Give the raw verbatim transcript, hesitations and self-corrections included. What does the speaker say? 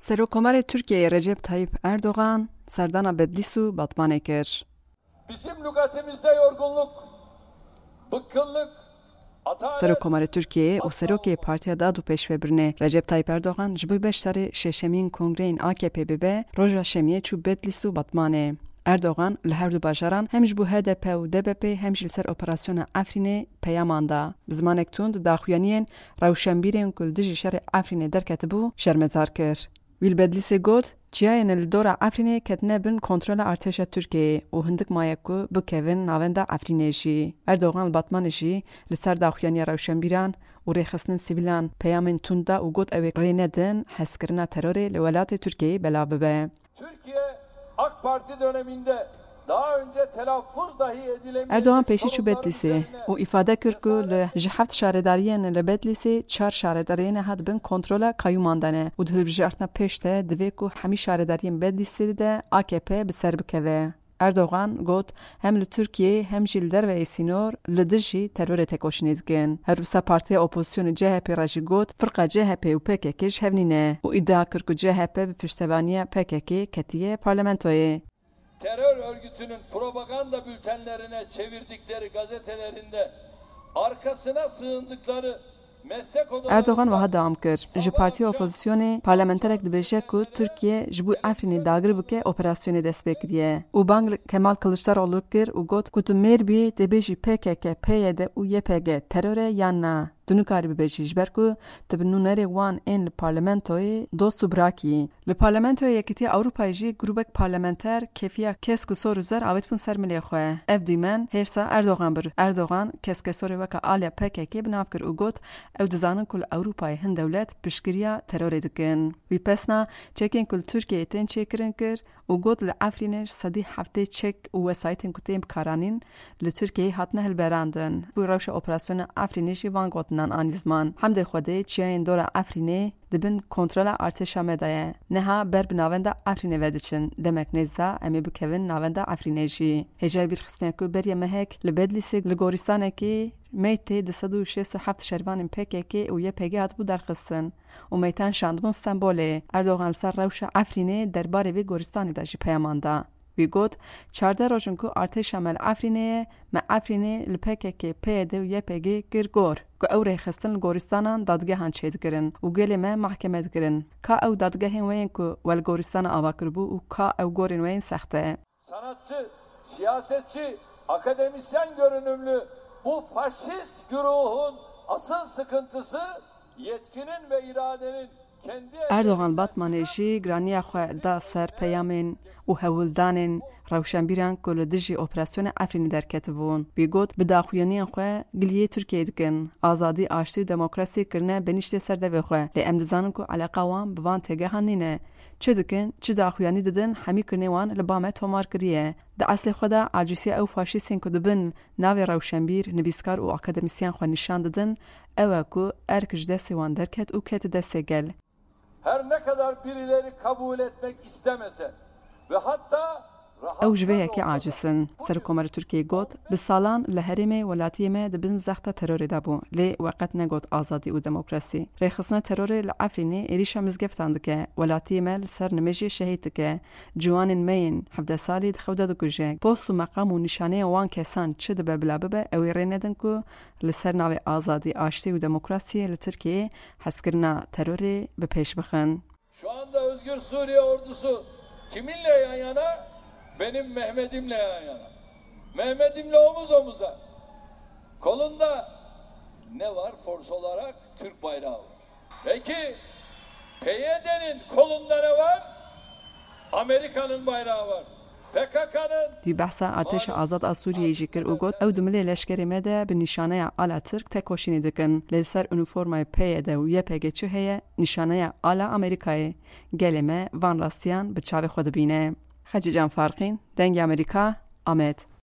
Serokkomarê Tirkiyeyê Recep Tayyip Erdogan serdana Bedlîs û Batmanê kir. Bizim lügatimizde yorgunluk, bıkkınlık, atalet, Serokkomarê Tirkiyeyê û serokê Partiya Dad û Pêşvebirinê Recep Tayyip Erdogan ji bo beşdarî şeşemîn kongreyên A K P bibe, roja şemiyê çû Bedlîs û Batmanê. Erdogan li her du bajaran hem ji bo H D P û D B P hem jî li ser operasyona Efrînê peyaman da. Bi zimanek tund daxuyaniyên rewşenbîrên ku li dijî şerê Efrînê derketibû şermezar kir. Wî li Bedlîsê got, çiyayên li dora Efrînê ketine bin kontrola artêşa Tirkiyeyê û hindik maye ku bikevin navenda Efrînê jî. Erdogan li Batmanê jî li ser daxuyaniya rewşenbîran û rêxistinên sivîlan peyamên tund da û got, ew ê rê nedin hezkirina terorê li welatê Tirkiyeyê belav bibe. Türkiye AK Parti döneminde daha önce telaffuz dahi edilemeyen Erdogan pêşî çû Bedlîsê û îfade kir ku li ji heft şaredariyên li Bedlîsê çar şaredariyê niha di bin kontrola kayyûman de ne û di hilbijartina pêş de divê ku hemî şaredariyên Bedlîsê de A K P bi ser bikeve. Erdogan got, hem li Tirkiyeyê hem jî li derveyê sînor li dijî terorê tekoşînê dikin. Her wisa partiya opozisyonê C H P re jî got, firqa C H P û P K K ji hev nîne û îdia kir ku C H P bi piştevaniya P K K ketiye parlamentoyê. Terör örgütünün propaganda bültenlerine çevirdikleri gazetelerinde arkasına sığındıkları meslek odalarında Erdogan wiha dewam kir, ji partiya opozisyonê parlamenterek dibêje ku Tirkiye ji bo Efrînê dagir bike operasyonê dest pê kiriye û bang li Kemal Kiliçdaroglu kir û got ku tu mêr bî tê bêjî P K K, P Y D û Y P G teror e yan na. Tu nikarî bibêjî, ji ber ku tu bi nûnerê wan ên li parlamentoyê dost û birakî yî. Li Parlamentoya Yekîtiya Ewropayê jî grûbek parlamenter kêfiya kesk û sor û zer avêtibûn ser milê xwe. Ev dîmen hêrsa Erdogan bir. Erdogan keskesorê weke aliya P K K bi nav kir û got, ew dizanin ku li Ewropayê hin dewlet piştgiriya terorê dikin. Wî pesna çekên ku li Tirkiyeyê tên çêkirin kir û got, li Efrînê ji sedî heftê çek û wesayîtên ku tên bikaranîn li Tirkiyeyê hatine hilberandin. Wî rewşa operasyona Efrînê jî van gotinan anî ziman. Hemdê Xwedê çiyayên dora Efrînê di bin kontrola artêşa me de ye. Niha ber bi navenda Efrînê ve diçin. Demek nêz de em ê bikevin navenda Efrînê jî. Hêjayî bîrxistinê ku beriya mehek li Bedlîsê li gorîstanekê meytê du sed û şêst û heft şervanên P K K û Y P G hatibû derxistin û meytan şandibûn Stenbolê. Erdogan li ser rewşa Efrînê derbarê vê goristanê de jî peyaman da. Wî got, çardeh roj in ku artêşa me li Efrînê ye, me Efrînê li P K K, P Y D û Y P G kir gor, ku ew rêxistin li goristanan dadgehan çêdikirin û gelê me mehkeme dikirin. Ka ew dadgehên we yên ku we li goristana ava kiribû û ka ew gorên we yên sext e? Sanatçı, siyasetçi, akademisyen görünümlü bu faşist güruhun asıl sıkıntısı yetkinin ve iradenin kendi Erdogan Batmanê jî giraniya xwe da ser peyamên û hewldanên rewşenbîran ku li dijî operasyona Efrînê derketibûn. Wî got, bi daxuyaniyên xwe giliyê Tirkiyeyê dikin. Azadî, aştî û demokrasî kirine benîştê ser devê xwe. Lê em dizanin ku eleqa wan bi van têgehan nîne. Çi dikin, çi daxuyanî didin, hemî kirinê wan li ba me tomar kiriye. Di eslê xwe de acîsiya ew faşîstên ku dibin navê rewşenbîr, nivîskar û akademisyen xwe nîşan didin, ew e ku erk ji destê wan derket û ket destê gel. Her ne kadar birileri kabul etmek istemese ve hatta Ew ji vê yekê aciz in. Serokkomarê Tirkiyeyê got, bi salan li herêmê welatiyê me di bin zexta terorê de bû, lê we qet negot azadî û demokrasî. Rêxistina terorê li Efrînê êrîşa mizgeftan dike, welatiyê me li ser nimêjê şehîd dike, ciwanên me yên hevdeh salî di xew de dikuje, post û meqam û nîşaneya wan kesan çi dibe bila bibe, ew ê rê nedin ku li ser navê azadî, aştî û demokrasiyê li Tirkiyeyê hezkirina terorê bi pêş bixin. Şu anda Özgür Suriye ordusu kiminle yan yana? Benim Mehmet'imle yan yana. Mehmet'imle omuz omuza. Kolunda ne var? Fors olarak Türk bayrağı var. Peki P Y D'nin kolunda ne var? Amerika'nın bayrağı var. P K K'nın Wî behsa artêşa azad a Sûriyeyê jî kir û got, ew di milê leşkerê me de bi nîşaneya ala Tirk tekoşînê dikin. Lê li ser unîformayê P Y D û Y P G çi heye? Nîşaneya ala Amerîkayê. Gelê me van rastiyan bi çavê xwe dibîne. Xecîcan Farqîn, Dengê Amerîka, Amed.